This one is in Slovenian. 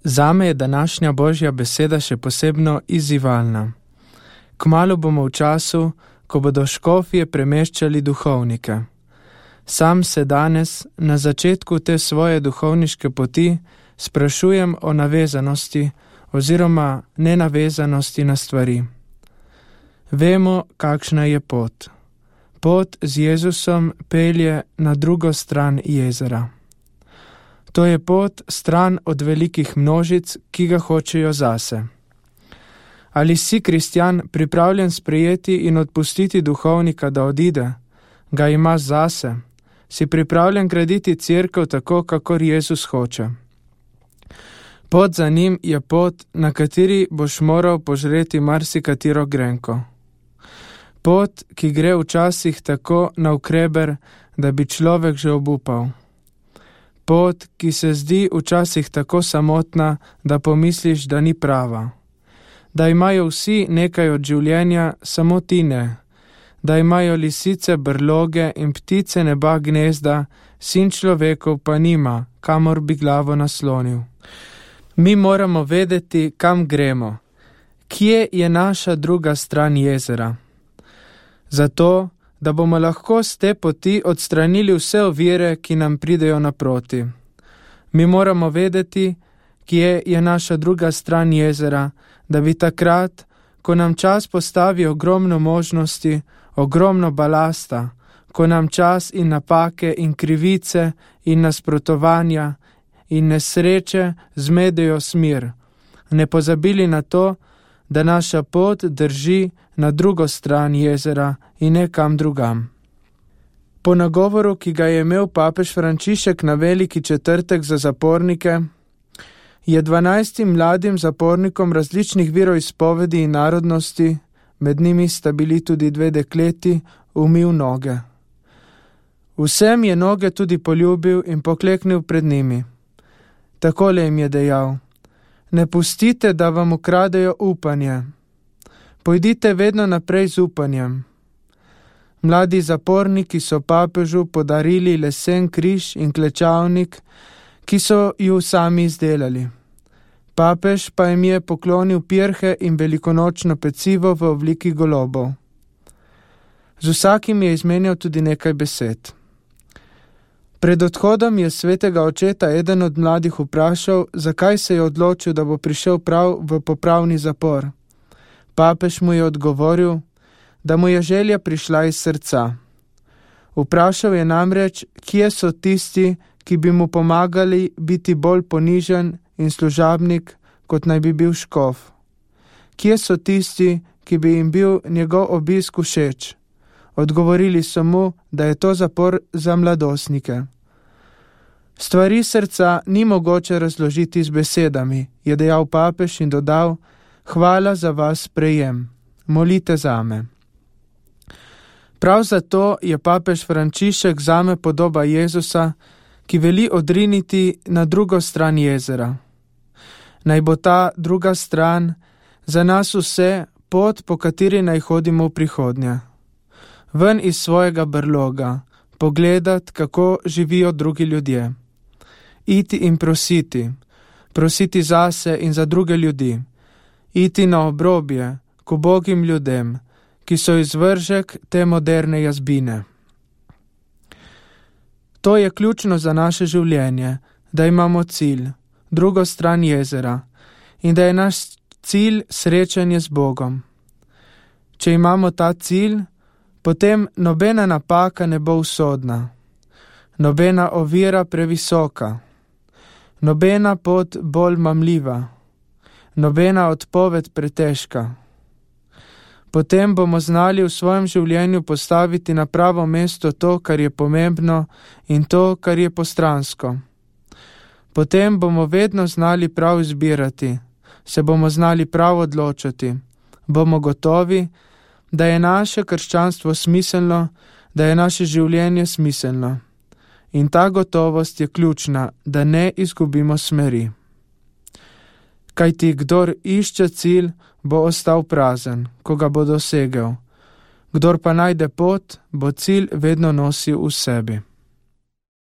Zame je današnja Božja beseda še posebno izzivalna. Kmalu bomo v času, ko bodo škofje premeščali duhovnike. Sam se danes, na začetku te svoje duhovniške poti, sprašujem o navezanosti oziroma nenavezanosti na stvari. Vemo, kakšna je pot. Pot z Jezusom pelje na drugo stran jezera. To je pot stran od velikih množic, ki ga hočejo zase. Ali si kristjan pripravljen sprejeti in odpustiti duhovnika, da odide? Ga imaš zase? Si pripravljen graditi cerkev tako, kakor Jezus hoče? Pot za njim je pot, na kateri boš moral požreti marsikatero grenko. Pot, ki gre včasih tako navkreber, da bi človek že obupal. Pot, ki se zdi včasih tako samotna, da pomisliš, da ni prava. Da imajo vsi nekaj od življenja, samo ti ne. Da imajo lisice brloge in ptice neba gnezda, sin človekov pa nima, kamor bi glavo naslonil. Mi moramo vedeti, kam gremo. Kje je naša druga stran jezera? Zato, da bomo lahko z te poti odstranili vse ovire, ki nam pridejo naproti. Mi moramo vedeti, kje je naša druga stran jezera, da bi takrat, ko nam čas postavi ogromno možnosti, ogromno balasta, ko nam čas in napake in krivice in nasprotovanja in nesreče zmedejo smer, ne pozabili na to, da naša pot drži na drugo stran jezera in ne kam drugam. Po nagovoru, ki ga je imel papež Frančišek na Veliki četrtek za zapornike, je 12 mladim zapornikom različnih veroizpovedi in narodnosti, med njimi sta bili tudi 2 dekleti, umil noge. Vsem je noge tudi poljubil in pokleknil pred njimi. Takole jim je dejal: ne pustite, da vam ukradejo upanje. Pojdite vedno naprej z upanjem. Mladi zaporniki so papežu podarili lesen križ in klečavnik, ki so ju sami izdelali. Papež pa jim je poklonil pirhe in velikonočno pecivo v obliki golobov. Z vsakim je izmenjal tudi nekaj besed. Pred odhodom je svetega očeta eden od mladih vprašal, zakaj se je odločil, da bo prišel prav v popravni zapor. Papež mu je odgovoril, da mu je želja prišla iz srca. Vprašal je namreč, kje so tisti, ki bi mu pomagali biti bolj ponižen in služabnik, kot naj bi bil škof. Kje so tisti, ki bi jim bil njegov obisk všeč? Odgovorili so mu, da je to zapor za mladostnike. Stvari srca ni mogoče razložiti z besedami, je dejal papež in dodal: hvala za vas sprejem, molite zame. Prav zato je papež Frančišek zame podoba Jezusa, ki veli odriniti na drugo stran jezera. Naj bo ta druga stran za nas vse pot, po kateri naj hodimo v prihodnje. Ven iz svojega brloga, pogledati, kako živijo drugi ljudje. Iti in prositi zase in za druge ljudi. Iti na obrobje, k ubogim ljudem, ki so izvržek te moderne jazbine. To je ključno za naše življenje, da imamo cilj, drugo stran jezera, in da je naš cilj srečanje z Bogom. Če imamo ta cilj, potem nobena napaka ne bo usodna, nobena ovira previsoka, nobena pot bolj mamljiva, nobena odpoved pretežka. Potem bomo znali v svojem življenju postaviti na pravo mesto to, kar je pomembno, in to, kar je postransko. Potem bomo vedno znali prav izbirati, se bomo znali prav odločati, bomo gotovi, da je naše krščanstvo smiselno, da je naše življenje smiselno. In ta gotovost je ključna, da ne izgubimo smeri. Kajti kdor išče cilj, bo ostal prazen, ko ga bo dosegel. Kdor pa najde pot, bo cilj vedno nosil v sebi.